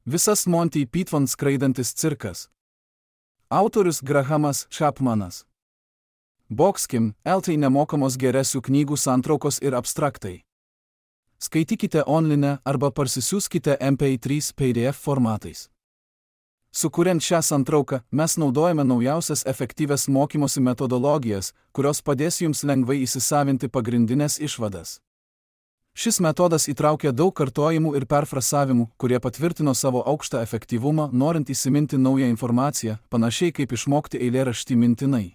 Visas Monty Python skraidantis cirkas. Autorius Grahamas Chapmanas. Boxkim, LT nemokamos geresių knygų santraukos ir abstraktai. Skaitykite online arba parsisiųskite MP3 PDF formatais. Sukuriant šią santrauką, mes naudojame naujausias efektyvias mokymosi metodologijas, kurios padės jums lengvai įsisavinti pagrindinės išvadas. Šis metodas įtraukia daug kartojimų ir perfrasavimų, kurie patvirtino savo aukštą efektyvumą, norint įsiminti naują informaciją, panašiai kaip išmokti eilėraštį mintinai.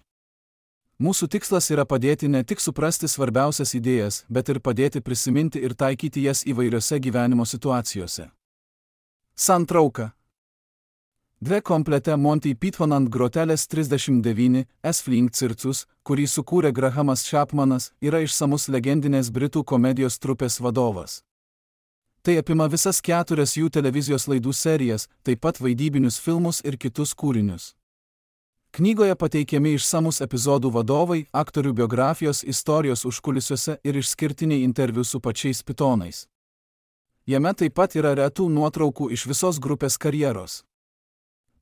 Mūsų tikslas yra padėti ne tik suprasti svarbiausias idėjas, bet ir padėti prisiminti ir taikyti jas įvairiose gyvenimo situacijose. Santrauka. Dve komplete Monty Python ant grotelės 39 S-Fling circus, kurį sukūrė Grahamas Chapmanas, yra išsamus legendinės Britų komedijos trupės vadovas. Tai apima visas 4 jų televizijos laidų serijas, taip pat vaidybinius filmus ir kitus kūrinius. Knygoje pateikiami išsamus epizodų vadovai, aktorių biografijos, istorijos užkulisiuose ir išskirtiniai interviu su pačiais pitonais. Jame taip pat yra retų nuotraukų iš visos grupės karjeros.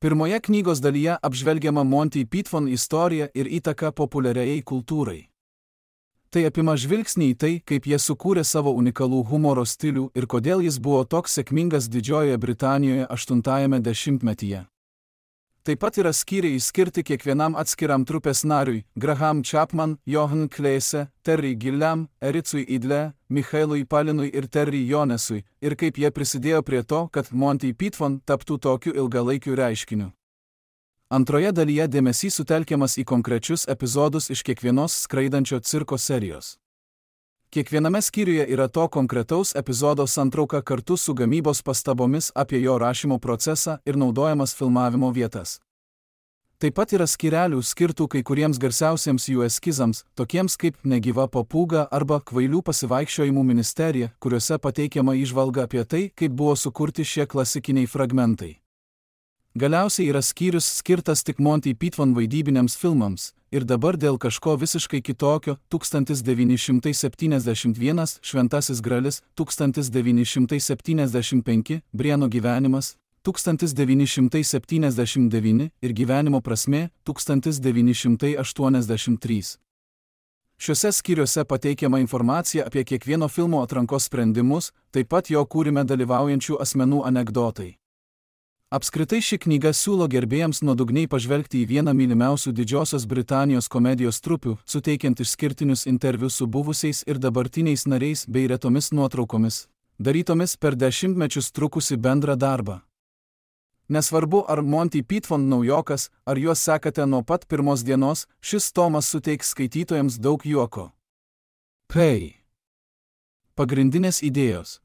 Pirmoje knygos dalyje apžvelgiama Monty Python istorija ir įtaka populiariai kultūrai. Tai apima žvilgsnį į tai, kaip jie sukūrė savo unikalų humoro stilių ir kodėl jis buvo toks sėkmingas Didžiojoje Britanijoje 8-ajame dešimtmetyje. Taip pat yra skyriai skirti kiekvienam atskiram trupės nariui – Graham Chapman, Johan Kleese, Terry Gilliam, Ericui Idle, Michaelui Palinui ir Terry Jonesui, ir kaip jie prisidėjo prie to, kad Monty Python taptų tokiu ilgalaikiu reiškiniu. Antroje dalyje dėmesys sutelkiamas į konkrečius epizodus iš kiekvienos skraidančio cirko serijos. Kiekviename skyriuje yra to konkretaus epizodo santrauka kartu su gamybos pastabomis apie jo rašymo procesą ir naudojamas filmavimo vietas. Taip pat yra skyrelių skirtų kai kuriems garsiausiems jų eskizams, tokiems kaip Negyva papūga arba Kvailių pasivaikščiojimų ministerija, kuriuose pateikiama įžvalga apie tai, kaip buvo sukurti šie klasikiniai fragmentai. Galiausiai yra skyrius skirtas tik Monty Python vaidybiniams filmams, ir dabar dėl kažko visiškai kitokio 1971 Šventasis Gralis, 1975 Brieno gyvenimas, 1979 ir Gyvenimo prasmė 1983. Šiuose skyriuose pateikiama informacija apie kiekvieno filmo atrankos sprendimus, taip pat jo kūrime dalyvaujančių asmenų anekdotai. Apskritai ši knyga siūlo gerbėjams nuodugniai pažvelgti į vieną mylimiausių Didžiosios Britanijos komedijos trupių, suteikiant išskirtinius interviu su buvusiais ir dabartiniais nariais bei retomis nuotraukomis, darytomis per dešimtmečius trukusi bendrą darbą. Nesvarbu, ar Monty Python naujokas, ar juos sekate nuo pat pirmos dienos, šis tomas suteiks skaitytojams daug juoko. Pagrindinės idėjos.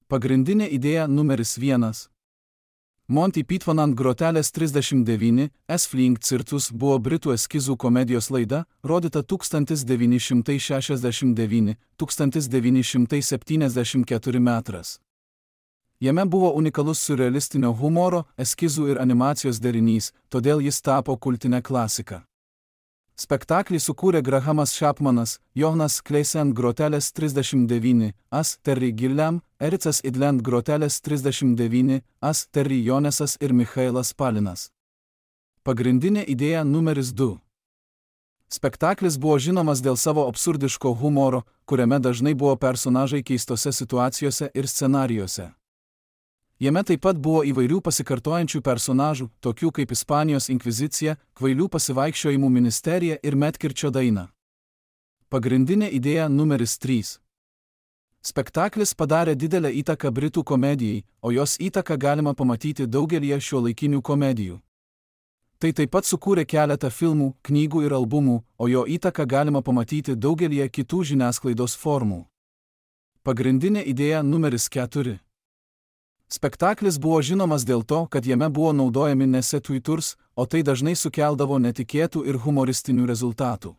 Pagrindinė idėja numeris 1. Monty Python ant grotelės 39 S-Fling circus buvo Britų eskizų komedijos laida, rodyta 1969–1974 metras. Jame buvo unikalus siurrealistinio humoro, eskizų ir animacijos derinys, todėl jis tapo kultine klasika. Spektaklį sukūrė Grahamas Chapmanas, Johanas Kleese ant grotelės 39 As, Terry Gilliam, Ericas Idle ant grotelės 39 As, Terry Jonesas ir Michaelas Palinas. Pagrindinė idėja numeris 2. Spektaklis buvo žinomas dėl savo absurdiško humoro, kuriame dažnai buvo personažai keistose situacijose ir scenarijuose. Jame taip pat buvo įvairių pasikartojančių personažų, tokių kaip Ispanijos inkvizicija, Kvailių pasivaikščiojimų ministerija ir Medkirčio daina. Pagrindinė idėja numeris 3. Spektaklis padarė didelę įtaką Britų komedijai, o jos įtaką galima pamatyti daugelyje šiuolaikinių komedijų. Tai taip pat sukūrė keletą filmų, knygų ir albumų, o jo įtaką galima pamatyti daugelyje kitų žiniasklaidos formų. Pagrindinė idėja numeris 4. Spektaklis buvo žinomas dėl to, kad jame buvo naudojami ne setuiturs, o tai dažnai sukeldavo netikėtų ir humoristinių rezultatų.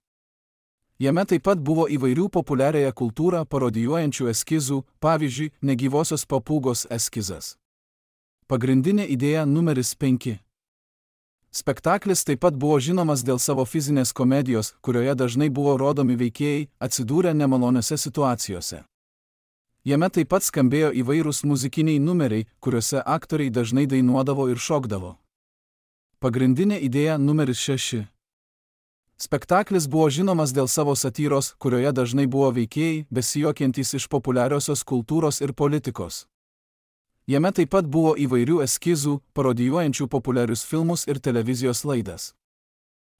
Jame taip pat buvo įvairių populiariąją kultūrą parodijuojančių eskizų, pavyzdžiui, Negyvosios papūgos eskizas. Pagrindinė idėja numeris 5. Spektaklis taip pat buvo žinomas dėl savo fizinės komedijos, kurioje dažnai buvo rodomi veikėjai atsidūrę nemaloniose situacijose. Jame taip pat skambėjo įvairūs muzikiniai numeriai, kuriuose aktoriai dažnai dainuodavo ir šokdavo. Pagrindinė idėja numeris 6. Spektaklis buvo žinomas dėl savo satyros, kurioje dažnai buvo veikėjai, besijuokiantys iš populiariosios kultūros ir politikos. Jame taip pat buvo įvairių eskizų, parodijuojančių populiarius filmus ir televizijos laidas.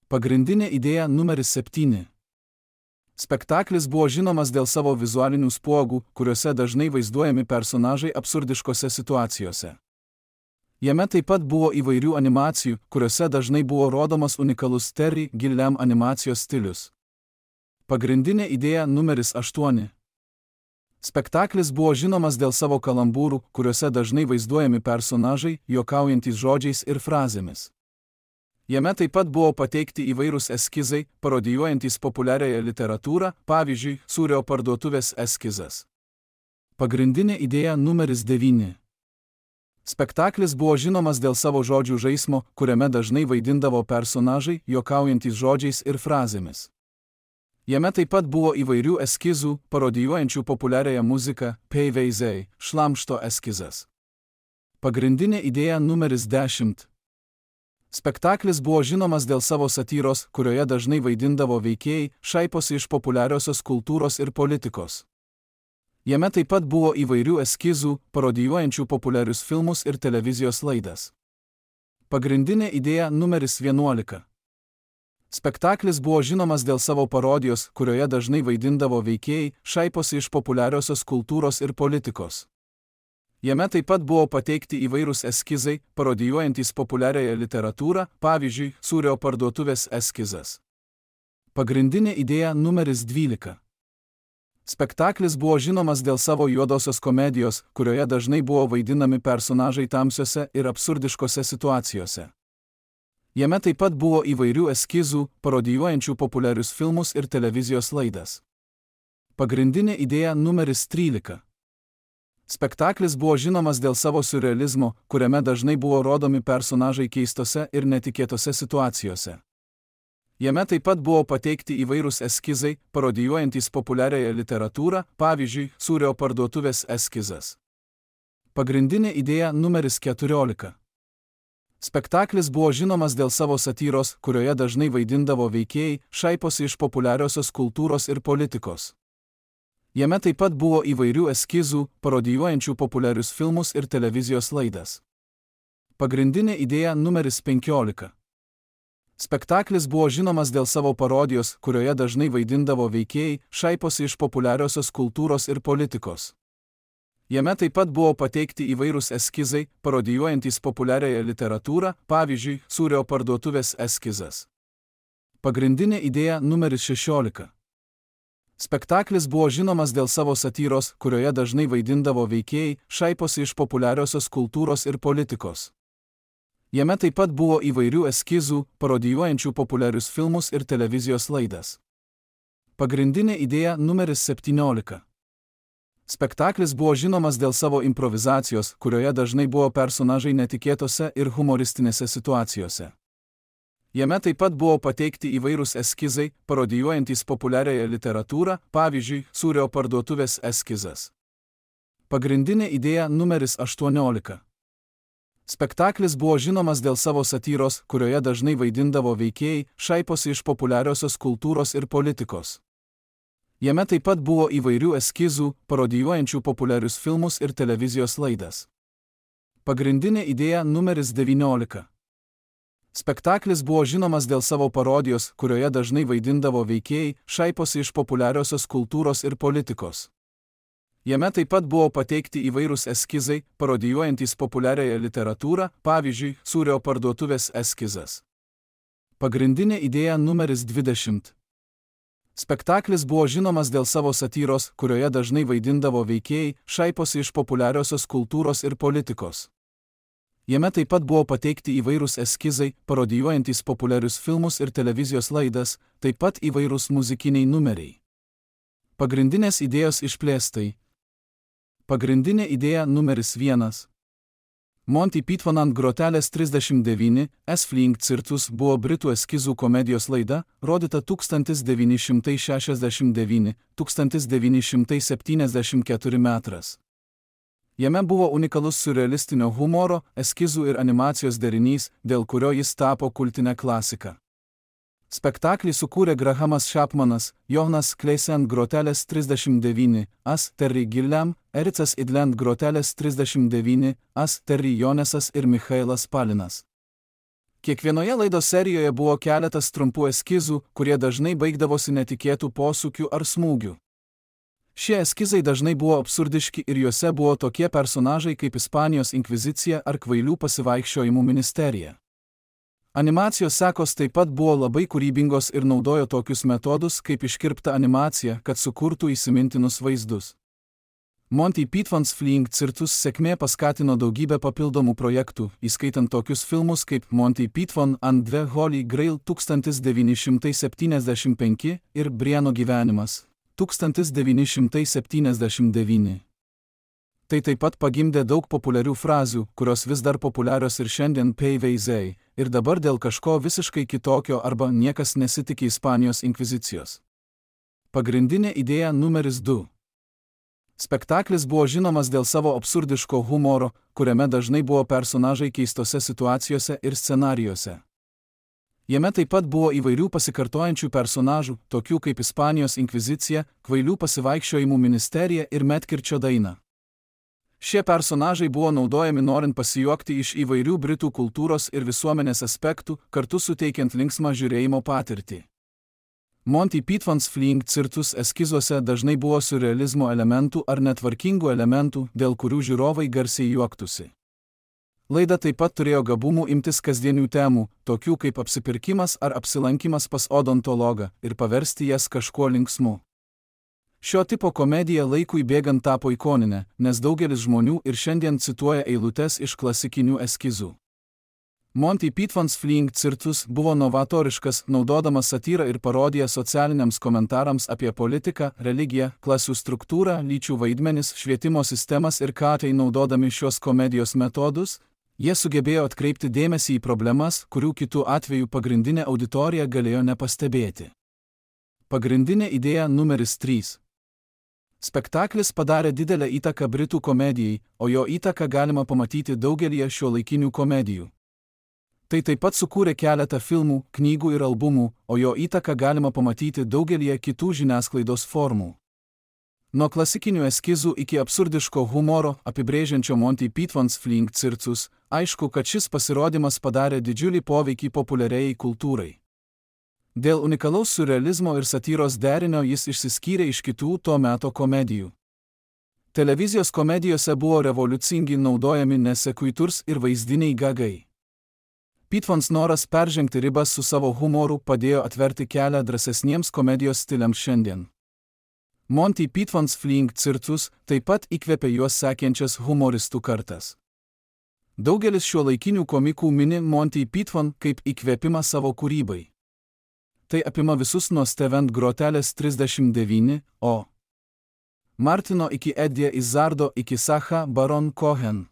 Pagrindinė idėja numeris 7. Spektaklis buvo žinomas dėl savo vizualinių spuogų, kuriuose dažnai vaizduojami personažai absurdiškose situacijose. Jame taip pat buvo įvairių animacijų, kuriuose dažnai buvo rodomas unikalus Terry Gilliam animacijos stilius. Pagrindinė idėja numeris 8. Spektaklis buvo žinomas dėl savo kalambūrų, kuriuose dažnai vaizduojami personažai, juokaujantys žodžiais ir frazėmis. Jame taip pat buvo pateikti įvairūs eskizai, parodijuojantys populiariąją literatūrą, pavyzdžiui, sūrio parduotuvės eskizas. Pagrindinė idėja numeris 9. Spektaklis buvo žinomas dėl savo žodžių žaismo, kuriame dažnai vaidindavo personažai, juokaujantys žodžiais ir frazėmis. Jame taip pat buvo įvairių eskizų, parodijuojančių populiariąją muziką, PVZ, šlamšto eskizas. Pagrindinė idėja numeris 10. Spektaklis buvo žinomas dėl savo satyros, kurioje dažnai vaidindavo veikėjai, šaiposi iš populiariosios kultūros ir politikos. Jame taip pat buvo įvairių eskizų, parodijuojančių populiarius filmus ir televizijos laidas. Pagrindinė idėja numeris 11. Spektaklis buvo žinomas dėl savo parodijos, kurioje dažnai vaidindavo veikėjai, šaiposi iš populiariosios kultūros ir politikos. Jame taip pat buvo pateikti įvairūs eskizai, parodijuojantys populiariąją literatūrą, pavyzdžiui, sūrio parduotuvės eskizas. Pagrindinė idėja numeris 12. Spektaklis buvo žinomas dėl savo juodosios komedijos, kurioje dažnai buvo vaidinami personažai tamsiose ir absurdiškose situacijose. Jame taip pat buvo įvairių eskizų, parodijuojančių populiarius filmus ir televizijos laidas. Pagrindinė idėja numeris 13. Spektaklis buvo žinomas dėl savo siurrealizmo, kuriame dažnai buvo rodomi personažai keistose ir netikėtose situacijose. Jame taip pat buvo pateikti įvairūs eskizai, parodijuojantys populiariąją literatūrą, pavyzdžiui, sūrio parduotuvės eskizas. Pagrindinė idėja numeris 14. Spektaklis buvo žinomas dėl savo satyros, kurioje dažnai vaidindavo veikėjai, šaiposi iš populiariosios kultūros ir politikos. Jame taip pat buvo įvairių eskizų, parodijuojančių populiarius filmus ir televizijos laidas. Pagrindinė idėja numeris 15. Spektaklis buvo žinomas dėl savo parodijos, kurioje dažnai vaidindavo veikėjai, šaiposi iš populiariosios kultūros ir politikos. Jame taip pat buvo pateikti įvairūs eskizai, parodijuojantys populiariąją literatūrą, pavyzdžiui, sūrio parduotuvės eskizas. Pagrindinė idėja numeris 16. Spektaklis buvo žinomas dėl savo satyros, kurioje dažnai vaidindavo veikėjai, šaiposi iš populiariosios kultūros ir politikos. Jame taip pat buvo įvairių eskizų, parodijuojančių populiarius filmus ir televizijos laidas. Pagrindinė idėja numeris 17. Spektaklis buvo žinomas dėl savo improvizacijos, kurioje dažnai buvo personažai netikėtose ir humoristinėse situacijose. Jame taip pat buvo pateikti įvairūs eskizai, parodijuojantys populiariąją literatūrą, pavyzdžiui, sūrio parduotuvės eskizas. Pagrindinė idėja numeris 18. Spektaklis buvo žinomas dėl savo satyros, kurioje dažnai vaidindavo veikėjai, šaiposi iš populiariosios kultūros ir politikos. Jame taip pat buvo įvairių eskizų, parodijuojančių populiarius filmus ir televizijos laidas. Pagrindinė idėja numeris 19. Spektaklis buvo žinomas dėl savo parodijos, kurioje dažnai vaidindavo veikėjai, šaiposi iš populiariosios kultūros ir politikos. Jame taip pat buvo pateikti įvairūs eskizai, parodijuojantys populiariąją literatūrą, pavyzdžiui, sūrio parduotuvės eskizas. Pagrindinė idėja numeris 20. Spektaklis buvo žinomas dėl savo satyros, kurioje dažnai vaidindavo veikėjai, šaiposi iš populiariosios kultūros ir politikos. Jame taip pat buvo pateikti įvairūs eskizai, parodijuojantys populiarius filmus ir televizijos laidas, taip pat įvairūs muzikiniai numeriai. Pagrindinės idėjos išplėstai. Pagrindinė idėja numeris 1. Monty Python ant grotelės 39, S-Flying Circus buvo britų eskizų komedijos laida, rodyta 1969–1974 metras. Jame buvo unikalus surrealistinio humoro, eskizų ir animacijos derinys, dėl kurio jis tapo kultine klasika. Spektaklį sukūrė Grahamas Chapmanas, Jonas Kleise ant grotelės 39, As Terry Gilliam, Ericas Idle ant grotelės 39, As Terry Jonesas ir Michailas Palinas. Kiekvienoje laidos serijoje buvo keletas trumpų eskizų, kurie dažnai baigdavosi netikėtų posūkių ar smūgių. Šie eskizai dažnai buvo absurdiški ir juose buvo tokie personažai kaip Ispanijos inkvizicija ar kvailių pasivaikščiojimų ministerija. Animacijos sekos taip pat buvo labai kūrybingos ir naudojo tokius metodus kaip iškirpta animacija, kad sukurtų įsimintinus vaizdus. Monty Python's Flying Circus sėkmė paskatino daugybę papildomų projektų, įskaitant tokius filmus kaip Monty Python and the Holy Grail 1975 ir Briano gyvenimas 1979. Tai taip pat pagimdė daug populiarių frazių, kurios vis dar populiarios ir šiandien PVZ, ir dabar dėl kažko visiškai kitokio arba niekas nesitikė Ispanijos inkvizicijos. Pagrindinė idėja numeris 2. Spektaklis buvo žinomas dėl savo absurdiško humoro, kuriame dažnai buvo personažai keistose situacijose ir scenarijuose. Jame taip pat buvo įvairių pasikartojančių personažų, tokių kaip Ispanijos inkvizicija, kvailių pasivaikščiojimų ministerija ir Medkirčio daina. Šie personažai buvo naudojami norint pasijuokti iš įvairių britų kultūros ir visuomenės aspektų, kartu suteikiant linksmą žiūrėjimo patirtį. Monty Python's Flying Circus eskizuose dažnai buvo surrealizmo elementų ar netvarkingų elementų, dėl kurių žiūrovai garsiai juoktųsi. Laida taip pat turėjo gabumų imtis kasdienių temų, tokių kaip apsipirkimas ar apsilankimas pas odontologą, ir paversti jas kažkuo linksmu. Šio tipo komedija laikui bėgant tapo ikoninė, nes daugelis žmonių ir šiandien cituoja eilutes iš klasikinių eskizų. Monty Python's Flying Circus buvo novatoriškas, naudodamas satyrą ir parodiją socialiniams komentarams apie politiką, religiją, klasių struktūrą, lyčių vaidmenis, švietimo sistemas ir ką tai naudodami šios komedijos metodus, jie sugebėjo atkreipti dėmesį į problemas, kurių kitų atveju pagrindinė auditorija galėjo nepastebėti. Pagrindinė idėja numeris 3. Spektaklis padarė didelę įtaką britų komedijai, o jo įtaką galima pamatyti daugelyje šiuolaikinių komedijų. Tai taip pat sukūrė keletą filmų, knygų ir albumų, o jo įtaką galima pamatyti daugelyje kitų žiniasklaidos formų. Nuo klasikinių eskizų iki absurdiško humoro, apibrėžiančio Monty Python's Flying Circus, aišku, kad šis pasirodymas padarė didžiulį poveikį populiariai kultūrai. Dėl unikalaus surrealizmo ir satyros derinio jis išsiskyrė iš kitų to meto komedijų. Televizijos komedijose buvo revoliucingi naudojami nesequitur ir vaizdiniai gagai. Pythons noras peržengti ribas su savo humoru padėjo atverti kelią drąsesniems komedijos stiliams šiandien. Monty Python's Flying Circus taip pat įkvėpė juos sekiančias humoristų kartas. Daugelis šiuolaikinių komikų mini Monty Python kaip įkvėpimą savo kūrybai. Tai apima visus nuo Steven grotelės 39, o Martino iki Eddie Izzardo iki Sacha Baron Cohen.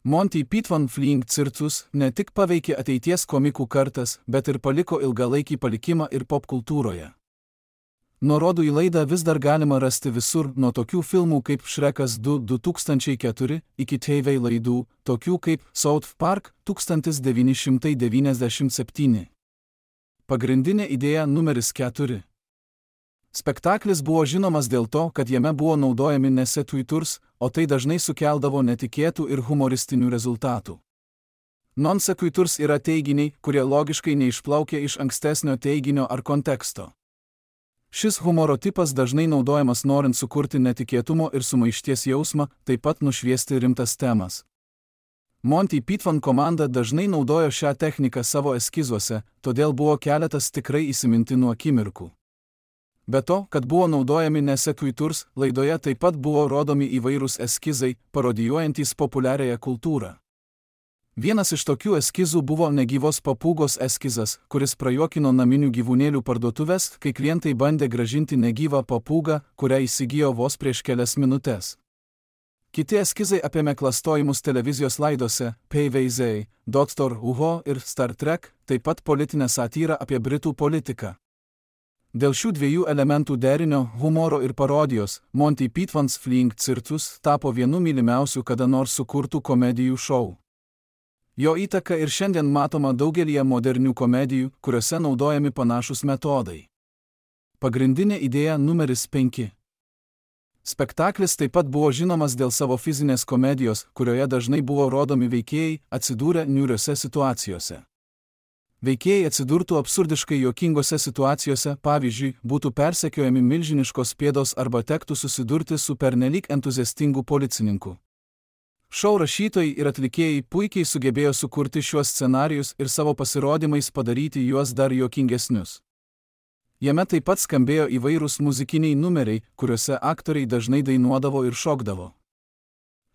Monty Python Flying Circus ne tik paveikė ateities komikų kartas, bet ir paliko ilgalaikį palikimą ir popkultūroje. Nuorodų į laidą vis dar galima rasti visur, nuo tokių filmų kaip Šrekas 2 2004 iki TV laidų, tokių kaip South Park 1997. Pagrindinė idėja numeris 4. Spektaklis buvo žinomas dėl to, kad jame buvo naudojami nesequitur, o tai dažnai sukeldavo netikėtų ir humoristinių rezultatų. Non-sequitur yra teiginiai, kurie logiškai neišplaukia iš ankstesnio teiginio ar konteksto. Šis humoro tipas dažnai naudojamas norint sukurti netikėtumo ir sumaišties jausmą, taip pat nušviesti rimtas temas. Monty Python komanda dažnai naudojo šią techniką savo eskizuose, todėl buvo keletas tikrai įsimintinų akimirkų. Be to, kad buvo naudojami nesequitur, laidoje taip pat buvo rodomi įvairūs eskizai, parodijuojantys populiariąją kultūrą. Vienas iš tokių eskizų buvo negyvos papūgos eskizas, kuris prajuokino naminių gyvūnėlių parduotuvės, kai klientai bandė grąžinti negyvą papūgą, kurią įsigijo vos prieš kelias minutes. Kiti eskizai apėmė klastojimus televizijos laidose, PVZ, Dr. Who ir Star Trek, taip pat politinę satyrą apie Britų politiką. Dėl šių dviejų elementų derinio, humoro ir parodijos, Monty Python's Flying Circus tapo vienu mylimiausių kada nors sukurtų komedijų šou. Jo įtaka ir šiandien matoma daugelyje modernių komedijų, kuriuose naudojami panašūs metodai. Pagrindinė idėja numeris 5. Spektaklis taip pat buvo žinomas dėl savo fizinės komedijos, kurioje dažnai buvo rodomi veikėjai, atsidūrę niūriose situacijose. Veikėjai atsidurtų absurdiškai juokingose situacijose, pavyzdžiui, būtų persekiojami milžiniškos pėdos arba tektų susidurti su pernelyg entuziastingu policininku. Šou rašytojai ir atlikėjai puikiai sugebėjo sukurti šiuos scenarijus ir savo pasirodymais padaryti juos dar juokingesnius. Jame taip pat skambėjo įvairūs muzikiniai numeriai, kuriuose aktoriai dažnai dainuodavo ir šokdavo.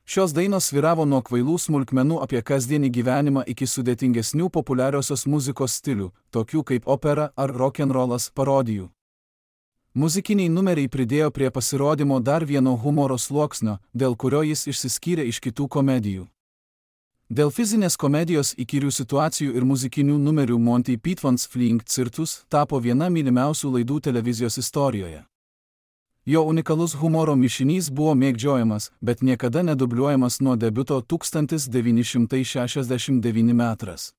Šios dainos svyravo nuo kvailų smulkmenų apie kasdienį gyvenimą iki sudėtingesnių populiariosios muzikos stilių, tokių kaip opera ar rock'n'rollas parodijų. Muzikiniai numeriai pridėjo prie pasirodymo dar vieno humoro sluoksnio, dėl kurio jis išsiskyrė iš kitų komedijų. Dėl fizinės komedijos įkyrių situacijų ir muzikinių numerių Monty Python's Flying Circus tapo viena mylimiausių laidų televizijos istorijoje. Jo unikalus humoro mišinys buvo mėgdžiojamas, bet niekada nedubliuojamas nuo debiuto 1969 metais.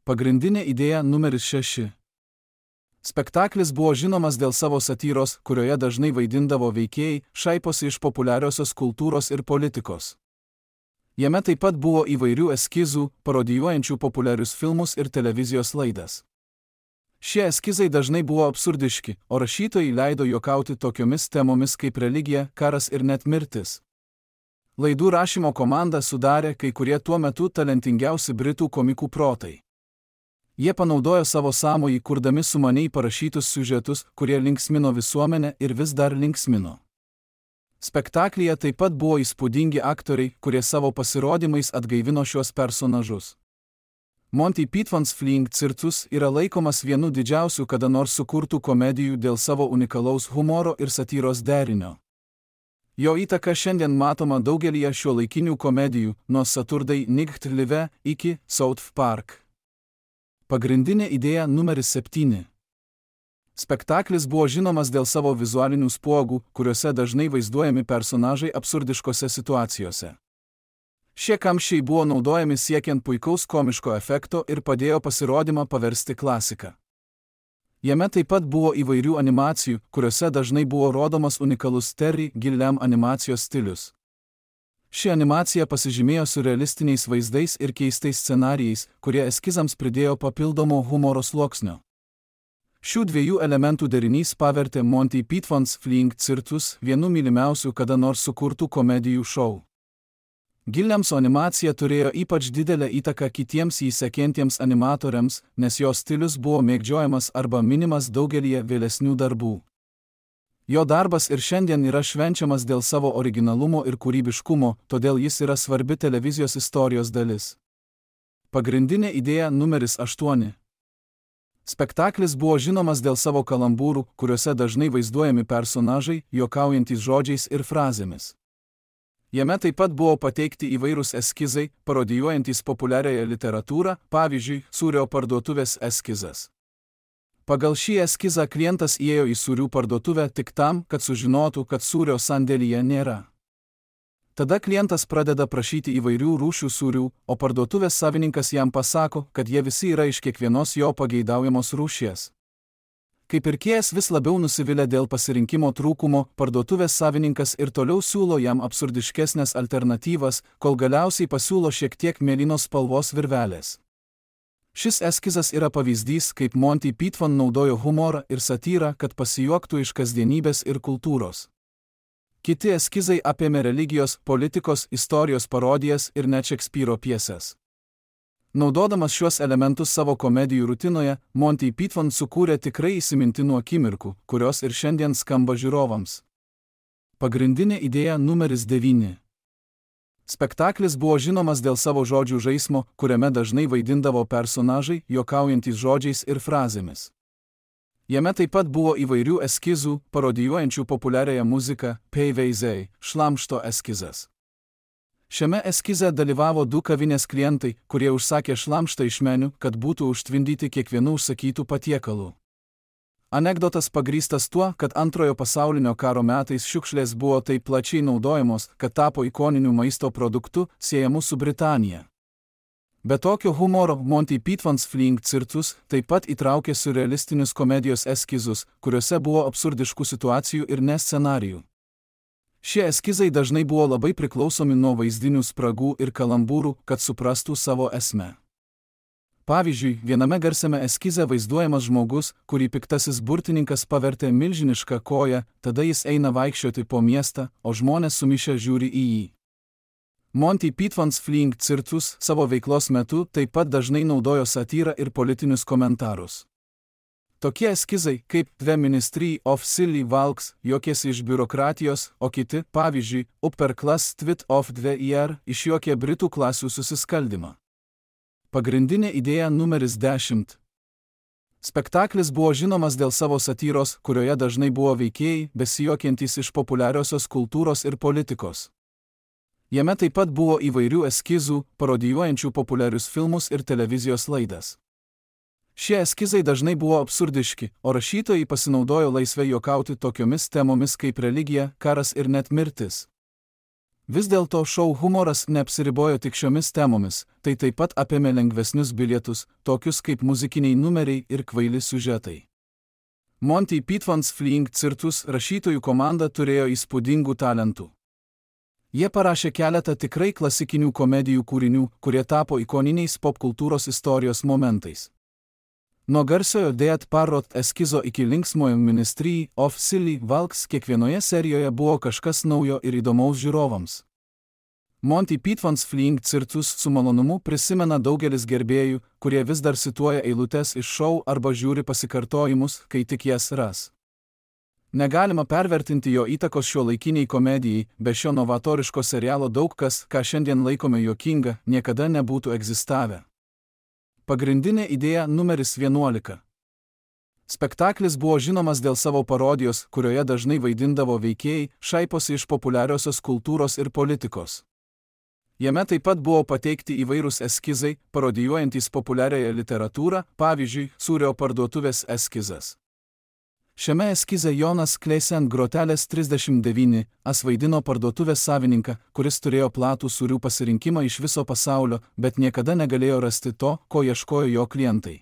Pagrindinė idėja numeris 6. Spektaklis buvo žinomas dėl savo satyros, kurioje dažnai vaidindavo veikėjai, šaiposi iš populiariosios kultūros ir politikos. Jame taip pat buvo įvairių eskizų, parodijuojančių populiarius filmus ir televizijos laidas. Šie eskizai dažnai buvo absurdiški, o rašytojai leido juokauti tokiomis temomis kaip religija, karas ir net mirtis. Laidų rašymo komandą sudarė kai kurie tuo metu talentingiausi britų komikų protai. Jie panaudojo savo sąmojį kurdami sumaniai parašytus siužetus, kurie linksmino visuomenę ir vis dar linksmino. Spektaklyje taip pat buvo įspūdingi aktoriai, kurie savo pasirodymais atgaivino šiuos personažus. Monty Python's Flying Circus yra laikomas vienu didžiausių kada nors sukurtų komedijų dėl savo unikalaus humoro ir satyros derinio. Jo įtaka šiandien matoma daugelyje šiuolaikinių komedijų, nuo Saturday Night Live iki South Park. Pagrindinė idėja numeris 7. Spektaklis buvo žinomas dėl savo vizualinių spuogų, kuriuose dažnai vaizduojami personažai absurdiškose situacijose. Šie kamščiai buvo naudojami siekiant puikaus komiško efekto ir padėjo pasirodymą paversti klasika. Jame taip pat buvo įvairių animacijų, kuriuose dažnai buvo rodomas unikalus Terry Gilliam animacijos stilius. Ši animacija pasižymėjo surrealistiniais vaizdais ir keistais scenarijais, kurie eskizams pridėjo papildomo humoro sluoksnio. Šių dviejų elementų derinys pavertė Monty Python's Flying Circus vienu mylimiausių kada nors sukurtų komedijų šou. Gilliamso animacija turėjo ypač didelę įtaką kitiems jį sekantiems animatoriams, nes jo stilius buvo mėgdžiojamas arba minimas daugelyje vėlesnių darbų. Jo darbas ir šiandien yra švenčiamas dėl savo originalumo ir kūrybiškumo, todėl jis yra svarbi televizijos istorijos dalis. Pagrindinė idėja numeris 8. Spektaklis buvo žinomas dėl savo kalambūrų, kuriuose dažnai vaizduojami personažai, juokaujantys žodžiais ir frazėmis. Jame taip pat buvo pateikti įvairūs eskizai, parodijuojantys populiariąją literatūrą, pavyzdžiui, sūrio parduotuvės eskizas. Pagal šį eskizą klientas įėjo į sūrių parduotuvę tik tam, kad sužinotų, kad sūrio sandėlyje nėra. Tada klientas pradeda prašyti įvairių rūšių sūrių, o parduotuvės savininkas jam pasako, kad jie visi yra iš kiekvienos jo pageidaujamos rūšies. Kai pirkėjas vis labiau nusivylė dėl pasirinkimo trūkumo, parduotuvės savininkas ir toliau siūlo jam absurdiškesnės alternatyvas, kol galiausiai pasiūlo šiek tiek mėlynos spalvos virvelės. Šis eskizas yra pavyzdys, kaip Monty Python naudojo humorą ir satyrą, kad pasijuoktų iš kasdienybės ir kultūros. Kiti eskizai apėmė religijos, politikos, istorijos parodijas ir net Šekspyro pjeses. Naudodamas šiuos elementus savo komedijų rutinoje, Monty Python sukūrė tikrai įsimintinų akimirkų, kurios ir šiandien skamba žiūrovams. Pagrindinė idėja numeris 9. Spektaklis buvo žinomas dėl savo žodžių žaismo, kuriame dažnai vaidindavo personažai, juokaujantys žodžiais ir frazėmis. Jame taip pat buvo įvairių eskizų, parodijuojančių populiariąją muziką, PVZ, šlamšto eskizas. Šiame eskize dalyvavo 2 kavinės klientai, kurie užsakė šlamštą iš meniu, kad būtų užtvindyti kiekvienų užsakytų patiekalų. Anekdotas pagrįstas tuo, kad Antrojo pasaulinio karo metais šiukšlės buvo taip plačiai naudojamos, kad tapo ikoniniu maisto produktu, siejamu su Britanija. Be tokio humoro Monty Python's Fleeing Circus taip pat įtraukė siurrealistinius komedijos eskizus, kuriuose buvo absurdiškų situacijų ir ne scenarijų. Šie eskizai dažnai buvo labai priklausomi nuo vaizdinių spragų ir kalambūrų, kad suprastų savo esmę. Pavyzdžiui, viename garsiame eskize vaizduojamas žmogus, kurį piktasis burtininkas pavertė milžinišką koją, tada jis eina vaikščioti po miestą, o žmonės sumišę žiūri į jį. Monty Python's Fleeing Circus savo veiklos metu taip pat dažnai naudojo satyrą ir politinius komentarus. Tokie eskizai, kaip The Ministry of Silly Walks, juokėsi iš biurokratijos, o kiti, pavyzdžiui, Upper Class Twit of the Year, išjuokė Britų klasių susiskaldimą. Pagrindinė idėja numeris 10. Spektaklis buvo žinomas dėl savo satyros, kurioje dažnai buvo veikėjai, besijuokiantys iš populiariosios kultūros ir politikos. Jame taip pat buvo įvairių eskizų, parodijuojančių populiarius filmus ir televizijos laidas. Šie eskizai dažnai buvo absurdiški, o rašytojai pasinaudojo laisvai juokauti tokiomis temomis kaip religija, karas ir net mirtis. Vis dėlto šou humoras neapsiribojo tik šiomis temomis, tai taip pat apėmė lengvesnius bilietus, tokius kaip muzikiniai numeriai ir kvaili siužetai. Monty Python's Fleeing Circus rašytojų komanda turėjo įspūdingų talentų. Jie parašė keletą tikrai klasikinių komedijų kūrinių, kurie tapo ikoniniais popkultūros istorijos momentais. Nuo garsiojo Dead Parrot eskizo iki linksmojo Ministry of Silly Walks kiekvienoje serijoje buvo kažkas naujo ir įdomaus žiūrovams. Monty Python's Fleeing Circus su malonumu prisimena daugelis gerbėjų, kurie vis dar cituoja eilutes iš šou arba žiūri pasikartojimus, kai tik jas ras. Negalima pervertinti jo įtakos šiuolaikiniai komedijai, be šio novatoriško serialo daug kas, ką šiandien laikome juokinga, niekada nebūtų egzistavę. Pagrindinė idėja numeris 11. Spektaklis buvo žinomas dėl savo parodijos, kurioje dažnai vaidindavo veikėjai, šaiposi iš populiariosios kultūros ir politikos. Jame taip pat buvo pateikti įvairūs eskizai, parodijuojantys populiariąją literatūrą, pavyzdžiui, sūrio parduotuvės eskizas. Šiame eskize Jonas Kleisen Grotelės 39 vaidino parduotuvės savininką, kuris turėjo platų sūrių pasirinkimą iš viso pasaulio, bet niekada negalėjo rasti to, ko ieškojo jo klientai.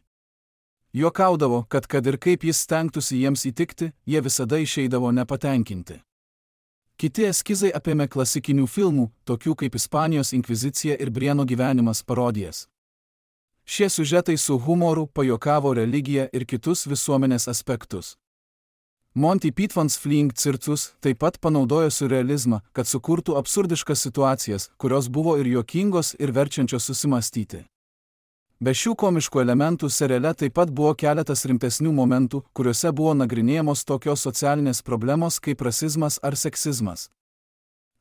Juokaudavo, kad ir kaip jis stengtųsi jiems įtikti, jie visada išeidavo nepatenkinti. Kiti eskizai apėmė klasikinių filmų, tokių kaip Ispanijos inkvizicija ir Brieno gyvenimas parodijas. Šie siužetai su humoru pajuokavo religiją ir kitus visuomenės aspektus. Monty Python's Fleeing Circus taip pat panaudojo siurrealizmą, kad sukurtų absurdiškas situacijas, kurios buvo ir juokingos, ir verčiančios susimąstyti. Be šių komiškų elementų seriale taip pat buvo keletas rimtesnių momentų, kuriuose buvo nagrinėjamos tokios socialinės problemos kaip rasizmas ar seksizmas.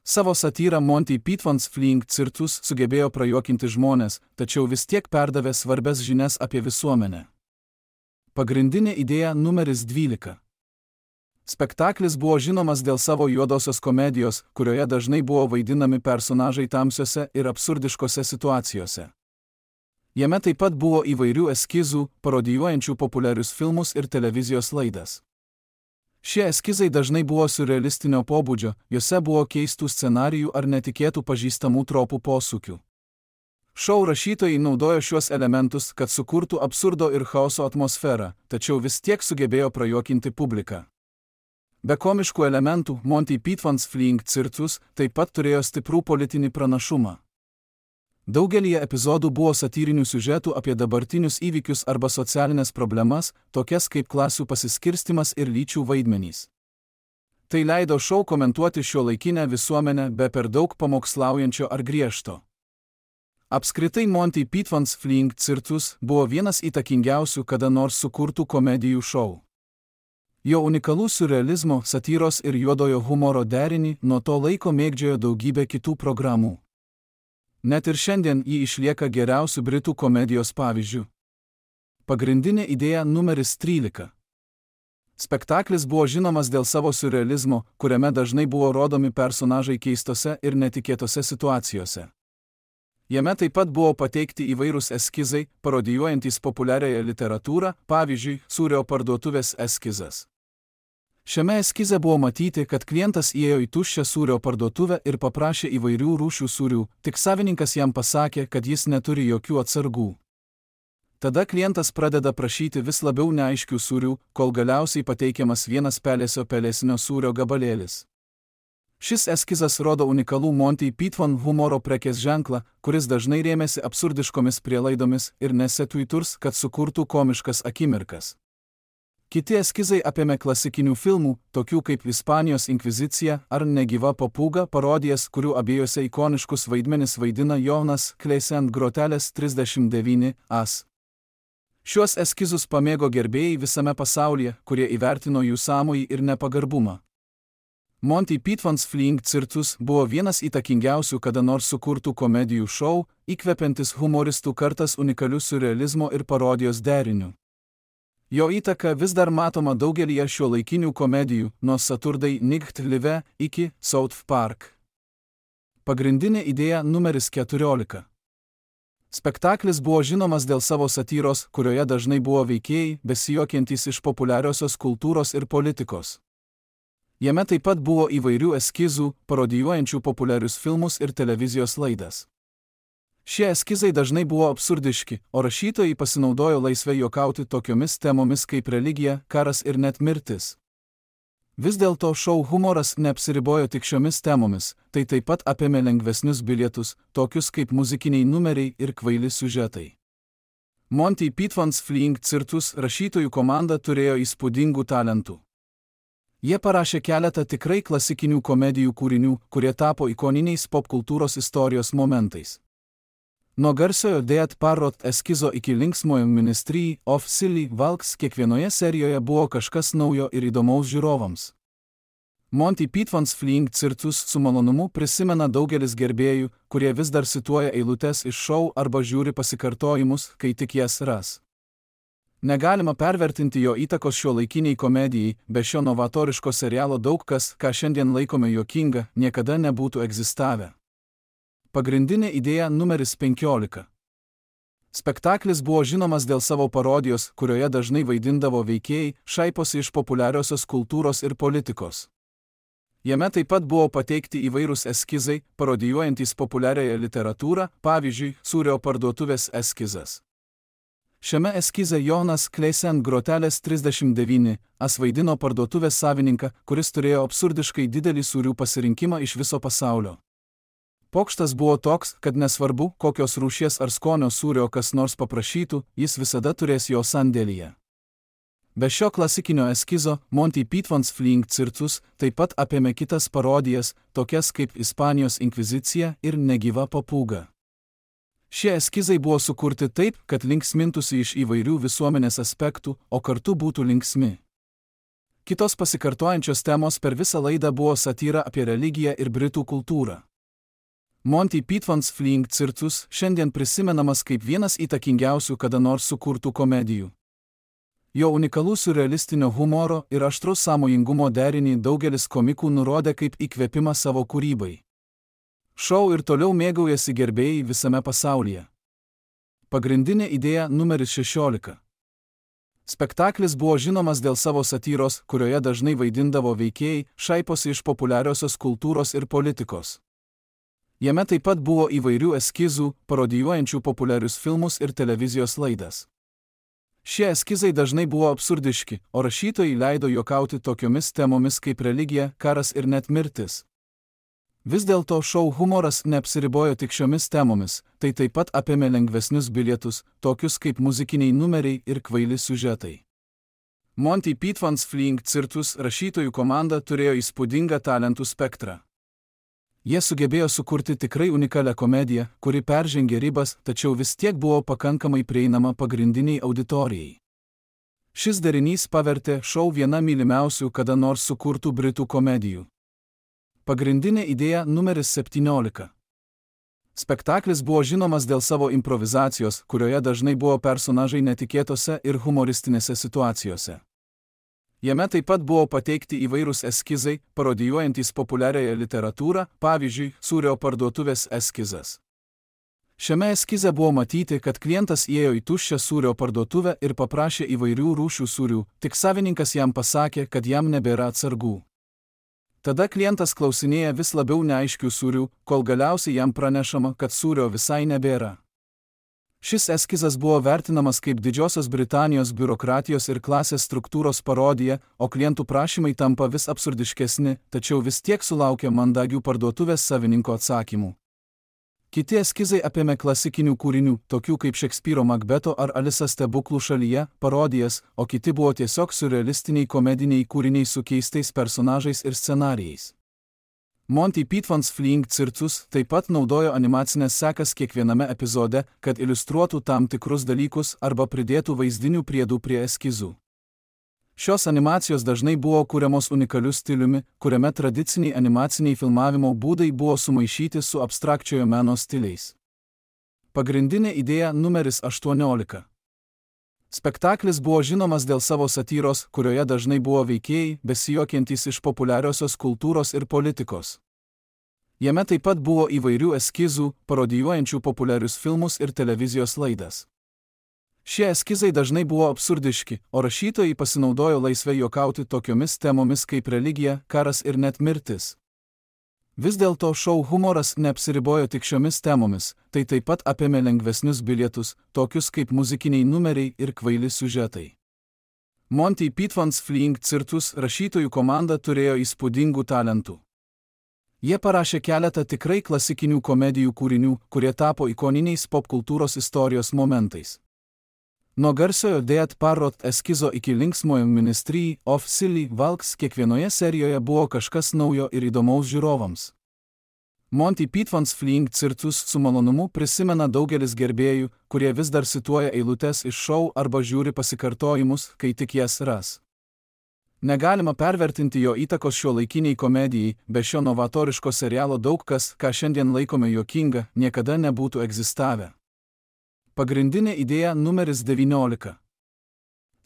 Savo satyrą Monty Python's Fleeing Circus sugebėjo prajuokinti žmonės, tačiau vis tiek perdavė svarbias žinias apie visuomenę. Pagrindinė idėja numeris 12. Spektaklis buvo žinomas dėl savo juodosios komedijos, kurioje dažnai buvo vaidinami personažai tamsiose ir absurdiškose situacijose. Jame taip pat buvo įvairių eskizų, parodijuojančių populiarius filmus ir televizijos laidas. Šie eskizai dažnai buvo siurrealistinio pobūdžio, juose buvo keistų scenarijų ar netikėtų pažįstamų tropų posūkių. Šou rašytojai naudojo šiuos elementus, kad sukurtų absurdo ir chaoso atmosferą, tačiau vis tiek sugebėjo prajuokinti publiką. Be komiškų elementų, Monty Python's Fleeing Circus taip pat turėjo stiprų politinį pranašumą. Daugelyje epizodų buvo satyrinių siužetų apie dabartinius įvykius arba socialinės problemas, tokias kaip klasių pasiskirstimas ir lyčių vaidmenys. Tai leido šou komentuoti šiuolaikinę visuomenę be per daug pamokslaujančio ar griežto. Apskritai Monty Python's Fleeing Circus buvo vienas įtakingiausių kada nors sukurtų komedijų šou. Jo unikalų siurrealizmo, satyros ir juodojo humoro derinį nuo to laiko mėgdžiojo daugybė kitų programų. Net ir šiandien jį išlieka geriausių britų komedijos pavyzdžių. Pagrindinė idėja numeris 13. Spektaklis buvo žinomas dėl savo siurrealizmo, kuriame dažnai buvo rodomi personažai keistose ir netikėtose situacijose. Jame taip pat buvo pateikti įvairūs eskizai, parodijuojantys populiariąją literatūrą, pavyzdžiui, sūrio parduotuvės eskizas. Šiame eskize buvo matyti, kad klientas įėjo į tuščią sūrio parduotuvę ir paprašė įvairių rūšių sūrių, tik savininkas jam pasakė, kad jis neturi jokių atsargų. Tada klientas pradeda prašyti vis labiau neaiškių sūrių, kol galiausiai pateikiamas vienas pelėsio sūrio gabalėlis. Šis eskizas rodo unikalų Monty Python humoro prekės ženklą, kuris dažnai rėmėsi absurdiškomis prielaidomis ir nesetuiturs, kad sukurtų komiškas akimirkas. Kiti eskizai apėmė klasikinių filmų, tokių kaip Ispanijos inkvizicija ar Negyva papūga parodijas, kurių abiejose ikoniškus vaidmenis vaidina Jonas Kleisant Grotelės 39 as. Šiuos eskizus pamėgo gerbėjai visame pasaulyje, kurie įvertino jų sąmojį ir nepagarbumą. Monty Python's Flying Circus buvo vienas įtakingiausių kada nors sukurtų komedijų šou, įkvepiantis humoristų kartas unikalių siurrealizmo ir parodijos derinių. Jo įtaka vis dar matoma daugelyje šiuolaikinių komedijų, nuo Saturday Night Live iki South Park. Pagrindinė idėja numeris 14. Spektaklis buvo žinomas dėl savo satyros, kurioje dažnai buvo veikėjai, besijuokiantys iš populiariosios kultūros ir politikos. Jame taip pat buvo įvairių eskizų, parodijuojančių populiarius filmus ir televizijos laidas. Šie eskizai dažnai buvo absurdiški, o rašytojai pasinaudojo laisvę juokauti tokiomis temomis kaip religija, karas ir net mirtis. Vis dėlto šou humoras neapsiribojo tik šiomis temomis, tai taip pat apėmė lengvesnius bilietus, tokius kaip muzikiniai numeriai ir kvaili siužetai. Monty Python's Flying Circus rašytojų komanda turėjo įspūdingų talentų. Jie parašė keletą tikrai klasikinių komedijų kūrinių, kurie tapo ikoniniais popkultūros istorijos momentais. Nuo garsiojo Dead Parrot eskizo iki linksmojo Ministry of Silly Walks kiekvienoje serijoje buvo kažkas naujo ir įdomaus žiūrovams. Monty Python's Flying Circus su malonumu prisimena daugelis gerbėjų, kurie vis dar cituoja eilutes iš šou arba žiūri pasikartojimus, kai tik jas ras. Negalima pervertinti jo įtakos šiuolaikiniai komedijai, be šio novatoriško serialo daug kas, ką šiandien laikome juokinga, niekada nebūtų egzistavę. Pagrindinė idėja numeris 15. Spektaklis buvo žinomas dėl savo parodijos, kurioje dažnai vaidindavo veikėjai, šaiposi iš populiariosios kultūros ir politikos. Jame taip pat buvo pateikti įvairūs eskizai, parodijuojantys populiariąją literatūrą, pavyzdžiui, sūrio parduotuvės eskizas. Šiame eskize Jonas Kleisant Grotelės 39 as vaidino parduotuvės savininką, kuris turėjo absurdiškai didelį sūrių pasirinkimą iš viso pasaulio. Pokštas buvo toks, kad nesvarbu, kokios rūšies ar skonio sūrio kas nors paprašytų, jis visada turės jo sandėlyje. Be šio klasikinio eskizo, Monty Python's Flying Circus taip pat apėmė kitas parodijas, tokias kaip Ispanijos inkvizicija ir Negyva papūga. Šie eskizai buvo sukurti taip, kad linksmintųsi iš įvairių visuomenės aspektų, o kartu būtų linksmi. Kitos pasikartojančios temos per visą laidą buvo satyra apie religiją ir britų kultūrą. Monty Python's Flying Circus šiandien prisimenamas kaip vienas įtakingiausių kada nors sukurtų komedijų. Jo unikalų siurrealistinio humoro ir aštraus sąmojingumo derinį daugelis komikų nurodė kaip įkvėpimą savo kūrybai. Šou ir toliau mėgaujasi gerbėjai visame pasaulyje. Pagrindinė idėja numeris 16. Spektaklis buvo žinomas dėl savo satyros, kurioje dažnai vaidindavo veikėjai, šaiposi iš populiariosios kultūros ir politikos. Jame taip pat buvo įvairių eskizų, parodijuojančių populiarius filmus ir televizijos laidas. Šie eskizai dažnai buvo absurdiški, o rašytojai leido juokauti tokiomis temomis kaip religija, karas ir net mirtis. Vis dėlto šou humoras neapsiribojo tik šiomis temomis, tai taip pat apėmė lengvesnius bilietus, tokius kaip muzikiniai numeriai ir kvaili siužetai. Monty Python's Flying Circus rašytojų komanda turėjo įspūdingą talentų spektrą. Jie sugebėjo sukurti tikrai unikalią komediją, kuri peržengė ribas, tačiau vis tiek buvo pakankamai prieinama pagrindiniai auditorijai. Šis derinys pavertė šou viena mylimiausių kada nors sukurtų britų komedijų. Pagrindinė idėja numeris 17. Spektaklis buvo žinomas dėl savo improvizacijos, kurioje dažnai buvo personažai netikėtose ir humoristinėse situacijose. Jame taip pat buvo pateikti įvairūs eskizai, parodijuojantys populiariąją literatūrą, pavyzdžiui, sūrio parduotuvės eskizas. Šiame eskize buvo matyti, kad klientas įėjo į tuščią sūrio parduotuvę ir paprašė įvairių rūšių sūrių, tik savininkas jam pasakė, kad jam nebėra atsargų. Tada klientas klausinėja vis labiau neaiškių sūrių, kol galiausiai jam pranešama, kad sūrio visai nebėra. Šis eskizas buvo vertinamas kaip Didžiosios Britanijos biurokratijos ir klasės struktūros parodija, o klientų prašymai tampa vis absurdiškesni, tačiau vis tiek sulaukia mandagių parduotuvės savininko atsakymų. Kiti eskizai apėmė klasikinių kūrinių, tokių kaip Šekspyro Makbeto ar Alisa stebuklų šalyje, parodijas, o kiti buvo tiesiog siurrealistiniai komediniai kūriniai su keistais personažais ir scenarijais. Monty Python's Fleeing Circus taip pat naudojo animacinės sekas kiekviename epizode, kad iliustruotų tam tikrus dalykus arba pridėtų vaizdinių priedų prie eskizų. Šios animacijos dažnai buvo kuriamos unikaliu stiliumi, kuriame tradiciniai animaciniai filmavimo būdai buvo sumaišyti su abstrakčiojo meno stiliais. Pagrindinė idėja numeris 18. Spektaklis buvo žinomas dėl savo satyros, kurioje dažnai buvo veikėjai, besijuokiantys iš populiariosios kultūros ir politikos. Jame taip pat buvo įvairių eskizų, parodijuojančių populiarius filmus ir televizijos laidas. Šie eskizai dažnai buvo absurdiški, o rašytojai pasinaudojo laisvai juokauti tokiomis temomis kaip religija, karas ir net mirtis. Vis dėlto šou humoras neapsiribojo tik šiomis temomis, tai taip pat apėmė lengvesnius bilietus, tokius kaip muzikiniai numeriai ir kvaili siužetai. Monty Python's Fleeing Circus rašytojų komanda turėjo įspūdingų talentų. Jie parašė keletą tikrai klasikinių komedijų kūrinių, kurie tapo ikoniniais popkultūros istorijos momentais. Nuo garsiojo Dead Parrot eskizo iki linksmojo Ministry of Silly Walks kiekvienoje serijoje buvo kažkas naujo ir įdomaus žiūrovams. Monty Python's Fleeing Circus su malonumu prisimena daugelis gerbėjų, kurie vis dar cituoja eilutes iš šou arba žiūri pasikartojimus, kai tik jas ras. Negalima pervertinti jo įtakos šiuolaikiniai komedijai, be šio novatoriško serialo daug kas, ką šiandien laikome juokinga, niekada nebūtų egzistavę. Pagrindinė idėja numeris 19.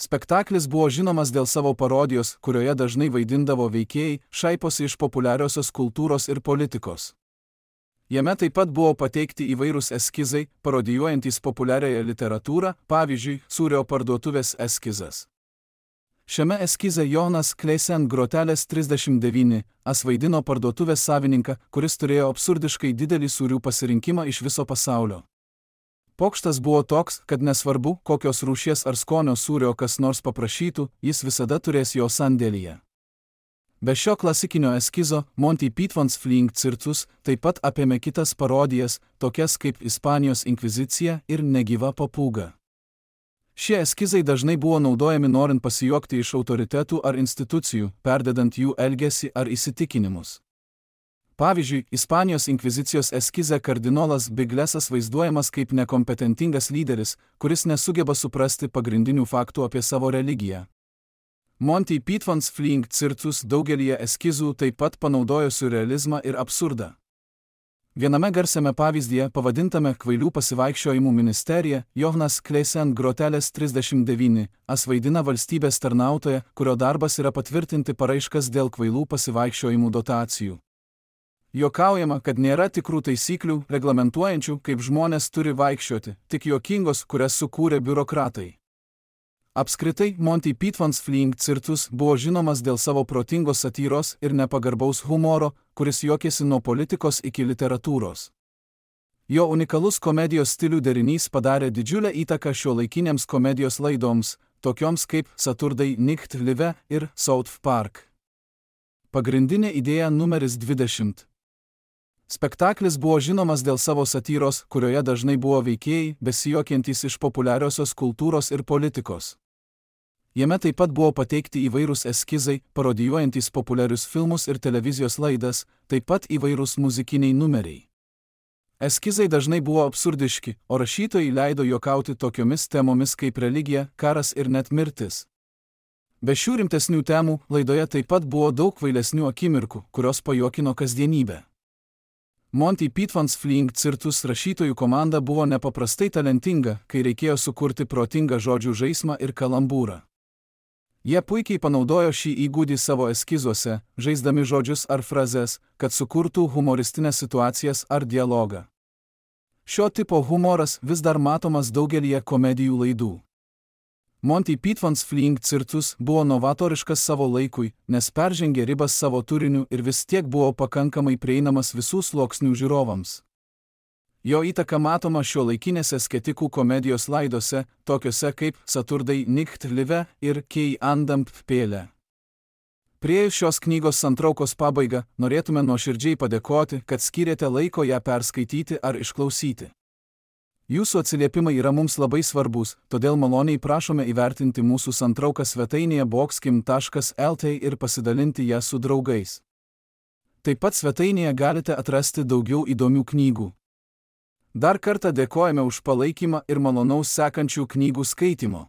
Spektaklis buvo žinomas dėl savo parodijos, kurioje dažnai vaidindavo veikėjai, šaiposi iš populiariosios kultūros ir politikos. Jame taip pat buvo pateikti įvairūs eskizai, parodijuojantys populiariąją literatūrą, pavyzdžiui, sūrio parduotuvės eskizas. Šiame eskize Jonas Kleisen Grotelės 39 vaidino parduotuvės savininką, kuris turėjo absurdiškai didelį sūrių pasirinkimą iš viso pasaulio. Pokštas buvo toks, kad nesvarbu, kokios rūšies ar skonio sūrio kas nors paprašytų, jis visada turės jo sandėlyje. Be šio klasikinio eskizo, Monty Python's Fleeing Circus taip pat apėmė kitas parodijas, tokias kaip Ispanijos inkvizicija ir Negyva papūga. Šie eskizai dažnai buvo naudojami norint pasijuokti iš autoritetų ar institucijų, perdedant jų elgesį ar įsitikinimus. Pavyzdžiui, Ispanijos inkvizicijos eskize kardinolas Biglesas vaizduojamas kaip nekompetentingas lyderis, kuris nesugeba suprasti pagrindinių faktų apie savo religiją. Monty Python's Fleeing Circus daugelyje eskizų taip pat panaudojo siurrealizmą ir absurdą. Viename garsiame pavyzdyje, pavadintame Kvailių pasivaikščiojimų ministerija, Jonas Kleisen Grotelės 39 vaidina valstybės tarnautoją, kurio darbas yra patvirtinti paraiškas dėl kvailų pasivaikščiojimų dotacijų. Juokaujama, kad nėra tikrų taisyklių, reglamentuojančių, kaip žmonės turi vaikščioti, tik juokingos, kurias sukūrė biurokratai. Apskritai, Monty Python's Fleeing Circus buvo žinomas dėl savo protingos satyros ir nepagarbaus humoro, kuris juokėsi nuo politikos iki literatūros. Jo unikalus komedijos stilių derinys padarė didžiulę įtaką šiuolaikinėms komedijos laidoms, tokioms kaip Saturday Night Live ir South Park. Pagrindinė idėja numeris 20. Spektaklis buvo žinomas dėl savo satyros, kurioje dažnai buvo veikėjai, besijuokiantys iš populiariosios kultūros ir politikos. Jame taip pat buvo pateikti įvairūs eskizai, parodijuojantys populiarius filmus ir televizijos laidas, taip pat įvairūs muzikiniai numeriai. Eskizai dažnai buvo absurdiški, o rašytojai leido juokauti tokiomis temomis kaip religija, karas ir net mirtis. Be šių rimtesnių temų, laidoje taip pat buvo daug kvailesnių akimirkų, kurios pajuokino kasdienybę. Monty Python's Fleeing Circus rašytojų komanda buvo nepaprastai talentinga, kai reikėjo sukurti protingą žodžių žaismą ir kalambūrą. Jie puikiai panaudojo šį įgūdį savo eskizuose, žaisdami žodžius ar frazes, kad sukurtų humoristinės situacijas ar dialogą. Šio tipo humoras vis dar matomas daugelyje komedijų laidų. Monty Python's Fleeing Circus buvo novatoriškas savo laikui, nes peržengė ribas savo turiniu ir vis tiek buvo pakankamai prieinamas visų sluoksnių žiūrovams. Jo įtaka matoma šiuolaikinėse sketikų komedijos laidose, tokiuose kaip Saturday Night Live ir Key and Peele. Priėjus šios knygos santraukos pabaigą, norėtume nuoširdžiai padėkoti, kad skyrėte laiko ją perskaityti ar išklausyti. Jūsų atsiliepimai yra mums labai svarbus, todėl maloniai prašome įvertinti mūsų santrauką svetainėje boxkim.lt ir pasidalinti ją su draugais. Taip pat svetainėje galite atrasti daugiau įdomių knygų. Dar kartą dėkojame už palaikymą ir malonaus sekančių knygų skaitimo.